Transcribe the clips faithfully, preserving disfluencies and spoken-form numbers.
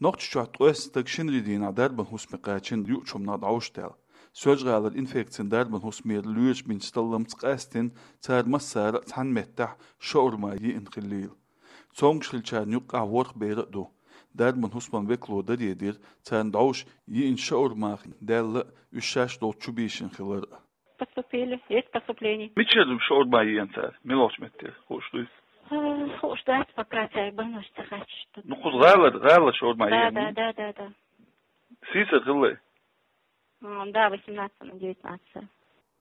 Нохчийчохь ткъоьсна стаг шинарин дийнахь дарбан хӀусаме кхаьчна юучу хӀуманах дӀовш даьлла. Соьлжа-ГӀалара инфекцийн дарбан хӀусамера лоьраш бинчу талламца къаьстина, цара массара а цхьана меттехь шаурма йиъна хиллийла. Цомгуш хиллачарна юккъехь ворхӀ бер а ду. Дарбан хӀусаман векало даре дира, царна дӀовш йиъна шаурма даьлла а, уьш шаьш долчу чу бийшина хилар а. Поступили, есть поступление. Мичара шаурма йиъна цара? Муьлхачу меттера, хууш дуй? А, хууш дац, пока цара больницаш ца хьаьжча. Ну, кхуза гӀалара, гӀалара шаурма Да, йиъна? Да, да, да, да. Сийсара хилла? М, да, восемнадцать на девятнадцать.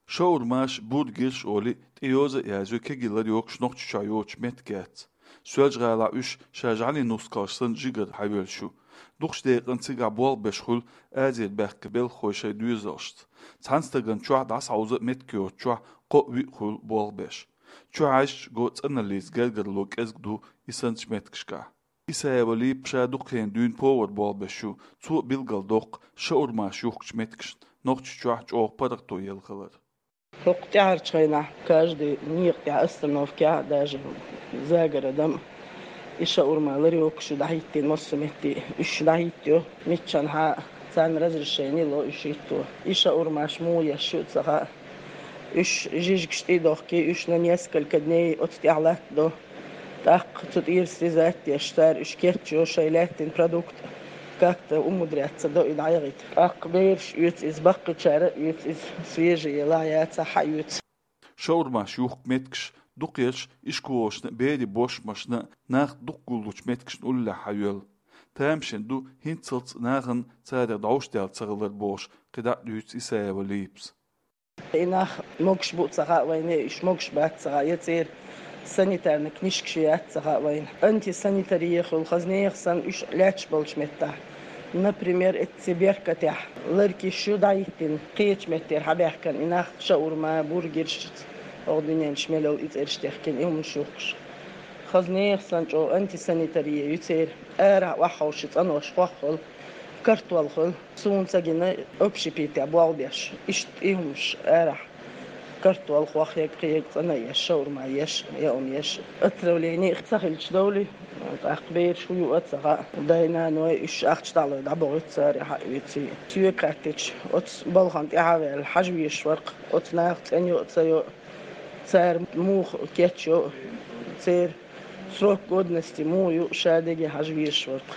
Шаурмаш, бургерш олий, тӀе йоза а язйо кегий ларъйоккхуш Нохчийчохь йоцучу меттигашца. Соьлжа-ГӀалахь уьш ша жӀаьлин нускалш санна жигара хьайоьллуш ю. Дукхачу декъана цигахь болх беш хуьлу Азера баьхкина белхахой шайн доьзалшца. Цхьана стагана чохь дӀасахьовза а меттиг йоцучохь кхоъ-виъ хуьлу болх беш. Чу хьаьжча го цӀаналлица гергарло кӀезиг ду и санначу меттигашкахь. Исаева Липа ша дукха хенахь дуьйна повар болх беш ю, цо а билгалдоккху шаурмаш юхкучу меттигашна Нохчийчохь чӀогӀа паргӀато елла хилар. ХӀокху тӀаьхьарчу хенахь каждый некъа тӀехь, остановкехь, даже Загородом, и шаурма ларёкаш ю дӀахӀиттийна массо а метте, уьш дӀахӀиттайо, миччанхьа царна разрешение ло уьш хӀитто. И шаурмаш муха еш ю а ца хаьа. Уьш жижигаш тӀе а дохкий, уьш на несколько дней оцу тӀехь латтадо. ТӀаккха цу тӀера срезать деш, цара уьш кечйо, шайн лаьттина продукт как-то умудряться до и дӀаяхийта. ТӀаккха бераш оьцу иза, баккхийчара а оьцу иза, свежий елахь яцахь а оьцу. Шаурмаш юхку меттигаш дукхаерш ишколашна а, берийн бошмашна а, нах дукха гуллучу меттигашна уллехь хьайоьллу. Тамашийна ду хӀинццалц нахана царах дӀовш даьлла ца хилар бохуш, кхидӀа а дуьйцу Исаева Липас. И нах могуш бу а ца хаьа вайна, уьш могуш бац а ца хаьа, я церан санитарный книжкаш яц а ца хаьа вайна. Антисанитария хуьлу, хаза нехан санна уьш лаьтташ болчу меттехь. Например, эцци Беркатехь ларкиш ю дӀахӀиттина, кхечу меттера хьабаьхкина и нах, шаурма, бургерш, оха дуьненаш мел йолу и цӀераш техкина, и хӀуманаш юхкуш. Хаза нехан санна чӀогӀа антисанитария ю церан, арахь охьаховший цӀанош хох хуьлу, картол хуьлу. Суна ца гина, общепитехь болх беш, иштта и хӀумаш арахь, картол хох, ег, кхин ег цӀана еш, шаурма еш, яа хӀума еш. Отравление ца хилча довлий, тӀаккха бераш хӀун ю а ца хаьа. Дай-наной уьш ахча дӀалой дӀабохуьйту цара, хьаоьций. Соьга хаьттича, оцу балхана тӀаьхьа а ваьлла, хьажа везаш вара-кх, оцу наха цӀена йо а, ца йо а, цара муха кечйо а, церан срок годности муха ю, ша дерриге хьажа везаш вара-кх.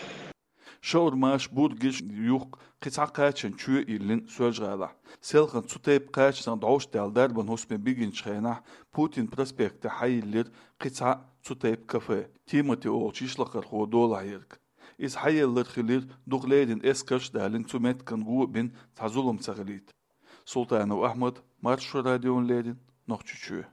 Шаурмаш, бургерш юхку кхин цхьа кхачанан чоь а йиллина Соьлжа-ГӀалахь. Селхана цу тайпа кхачанах дӀовш даьлла дарбан хӀусаме бигинчу хенахь Путин проспектехь хьайиллира кхин цхьа цу тайпа кафе, Тимати олучу йишлакхархо долахь ерг. Иза хьаеллар хилира, дукха леррина эскарш а далийна, цу меттиган го а бина, цхьа зулам ца хилийта. Султанов Ахьмад, Маршо радиона леррина, Нохчийчоь.